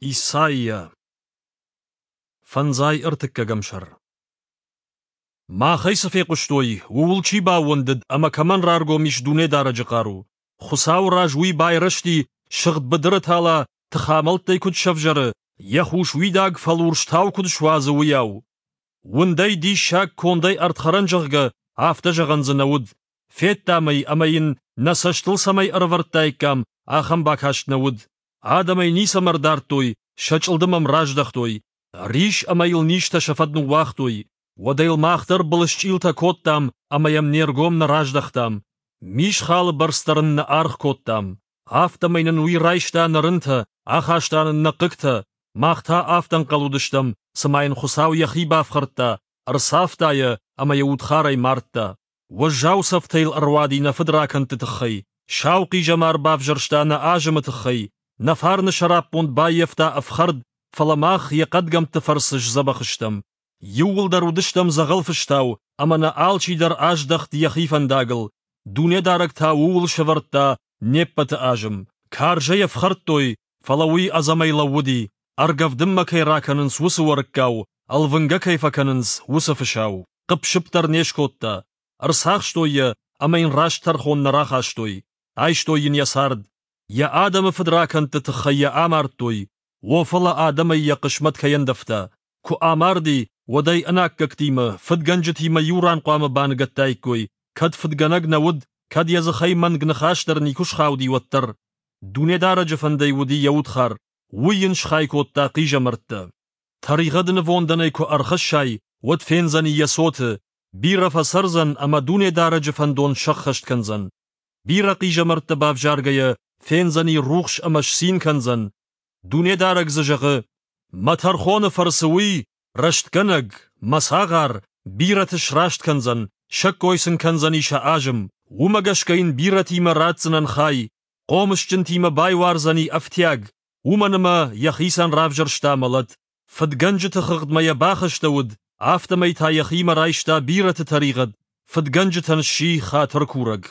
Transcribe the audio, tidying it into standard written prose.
Исайя. Фӕндзай ӕртыккӕгӕм сӕр. Махӕй цы фехъуыстой, ууыл чи баууӕндыд ӕмӕ кӕмӕн раргом ис Дунедарӕджы хъару? Хуыцауы раз уый байрӕзти, сыгъд быдыры тала тыхамӕлттӕй куыд сӕвзӕры, йӕ хус уидаг фӕлурс тау куыд суадзы, уыйау. Уындӕй диссаг, кондӕй ӕрдхӕрӕн, зӕгъгӕ, афтӕ зӕгъӕн дзы нӕ уыд. Федтам ӕй ӕмӕ йын нӕ цӕстыл цӕмӕй ӕрӕвӕрдтаиккам, ахӕм бакаст нӕ уыд. Адӕм ӕй ницӕмӕ ӕрдардтой, сӕ чъылдым ӕм раздӕхтой. Рис ӕмӕ йыл низтӕ сӕ фӕд ныууагътой. Уӕдӕ йыл мах дӕр былысчъилтӕ кодтам ӕмӕ йӕм не ргом нӕ раздӕхтам. Мисхалы бӕрц дӕр ын нӕ аргъ кодтам. Афтӕмӕй нын уый райста нӕ рынтӕ, ахаста нын нӕ хъыгтӕ. Мах та афтӕ ӕнхъӕл уыдыстӕм, цыма йын Хуыцау йӕхи бафхӕрдта, ӕрцавта йӕ ӕмӕ йӕ удхарӕй мардта. Уӕззау цӕфтӕ йыл ӕруади нӕ фыдракӕндты тыххӕй, сау хъизӕмар бавзӕрста нӕ азымы тыххӕй, нӕ фарны сӕраппонд баййӕфта ӕфхӕрд, фӕлӕ мах йӕ хъӕдгӕмтты фӕрцы сдзӕбӕх стӕм. Иууылдӕр уыдыстӕм дзӕгъӕл фыстау, ӕмӕ нӕ алчидӕр аздӕхт йӕхи фӕндагыл, Дунедарӕг та ууыл сӕвӕрдта не ппӕты азым. Карзӕй ӕфхӕрдтой, фӕлӕ уый ӕдзӕмӕй лӕууыди, ӕргӕвдынмӕ кӕй ракӕнынц, уыцы уӕрыккау, ӕлвынгӕ кӕй фӕкӕнынц, уыцы фысау. Хъыпп-сыпп дӕр не скодта. Ӕрцахстой йӕ ӕмӕ йын раст тӕрхон нӕ рахастой. Айстой йын йӕ цард. Йӕ адӕмы фыдракӕндты тыххӕй йӕ амардтой. О, фӕлӕ адӕмӕй йӕ хъысмӕт кӕй ӕндӕвта. Куы амарди, уӕд ӕй ӕнаккӕгтимӕ, фыдгӕнджытимӕ иу ран хъуамӕ баныгӕдтаиккой, кӕд фыдгӕнӕг нӕ уыд, кӕд йӕ дзыхӕй мӕнг ныхас дӕр никуы схауди, уӕддӕр. Дунедарӕджы фӕндӕй уыди йӕ удхар, уый йын схай кодта хъизӕмӕрттӕ. Тӕригъӕды нывондӕн ӕй куы ӕрхӕссай, уӕд фендзӕни йӕ цоты, бирӕ фӕцӕрдзӕн ӕмӕ Дунедарӕджы фӕндон сӕххӕст кӕндзӕн. Бирӕ хъизӕмӕрттӕ бавзаргӕйӕ, фендзӕни рухс ӕмӕ сцин кӕндзӕн. Дунедарӕг дзы зӕгъы: «Мӕ тӕрхоны фӕрцы уый, рӕстгӕнӕг, мӕ цагъар, бирӕты сраст кӕндзӕн, сӕккой сын кӕндзӕни сӕ азым. Уымӕ гӕсгӕ йын бирӕтимӕ ратдзынӕн хай, хъомысджынтимӕ байуардзӕни ӕфтиаг, уымӕн ӕмӕ йӕхицӕн равзӕрста мӕлӕт. Фыдгӕнджыты хыгъдмӕ йӕ бахастӕуыд, афтӕмӕй та йӕхимӕ райста бирӕты тӕригъӕд, фыдгӕнджытӕн сси хатыркурӕг.